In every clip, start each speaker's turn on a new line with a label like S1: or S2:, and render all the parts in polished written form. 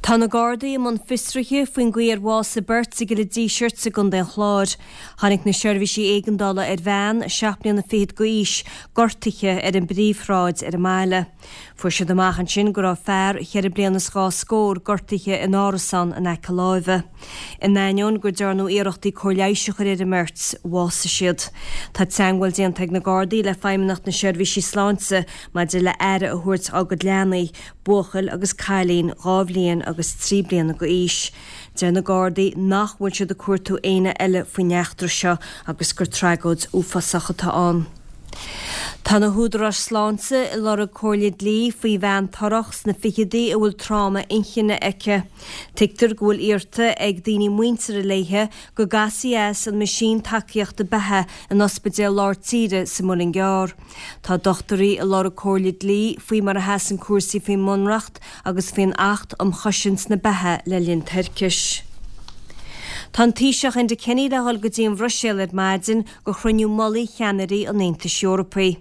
S1: Tá na Gardaí i mbun fiosraithe faoin gcaoi ar bhásaigh beirt i gCill an Dísirt i gContae an Chláir. Tháinig na seirbhísí éigeandála ar bhean, seacht mbliana fichead d'aois, gortaithe ar an bpríomhshráid ar an mbaile. Fuair siad amach ansin go raibh fear, cheithre bliana is dhá scór, gortaithe in árasán in aice láimhe. In ainneoin go ndearnadh iarrachtaí cóir leighis a chur ar an mbeirt, bhásaigh siad. Tá teagmháil déanta ag na Gardaí le Feidhmeannacht na Seirbhísí Sláinte maidir le aire a thabhairt dá gcuid leanaí, buachaill agus cailín 2 bhliain agus 3 bliana d'aois. Deir na Gardaí nach bhfuil siad ag cuartú éinne eile faoin eachtra seo agus gur tragóid uafásach atá ann. Tá na húdaráis sláinte ag lorg comhairle dlí faoi bhean torrach sna ficheadaí a bhfuil tráma inchinne aici. Tuigtear go bhfuil iarrta ag daoine muinteartha léithe go gcasfaí as an meaisín tacaíochta beatha in Ospidéal Lár Tíre sa Muileann gCearr. Tá dochtúirí ag lorg comhairle dlí faoi mar a sheasann cúrsaí faoin mBunreacht agus faoin Acht um Chosaint na Beatha le linn Toirchis. Tá an Taoiseach Enda Kenny le dhul go dtí an Bhruiséil ar maidin go chruinniú mullaigh cheannairí an Aontais Eorpaigh.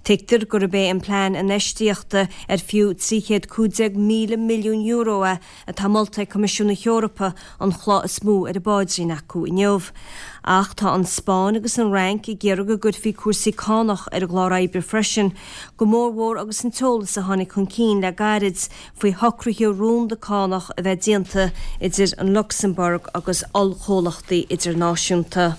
S1: Tuigtear gurb é an plean infheistíochta ar fiú €315,000 milliún é atá molta ag Coimisiún na hEorpa, an chloch is mó ar a bpaidrín acu inniu. Ach tá an Spáinn agus an Fhrainc ag iarraidh go gcuirfí cúrsaí cánach ar an gclár oibre freisin, go mórmhór agus an t-eolas a tháinig chun cinn le gairid faoi shocruithe rúnda cánach a bheith déanta idir an Lucsamburg agus ollchomhlachtaí idirnáisiúnta.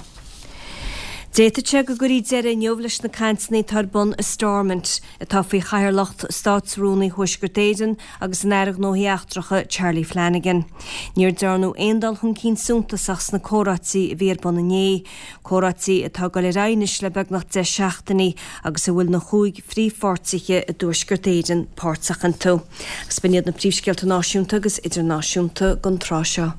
S1: D'fhéadfadh sé go gcuirfí deireadh inniu leis na cainteanna atá ar bun i Stormont, atá faoi chathaoirleacht Státrúnaí Thuaisceart Éireann agus an Aire Gnóthaí Eachtracha Charlie Flanagan. Níor dearnadh aon dul chun cinn suntasach sna comhráití a bhí ar bun inné, comhráití atá ag dul ar aghaidh anois le beagnach 10 seachtainí agus a bhfuil na chúig phríomhpháirtithe i dTuaisceart Éireann páirteach iontu. Agus b'in iad na príomhscéalta náisiúnta agus idirnáisiúnta don tráth seo.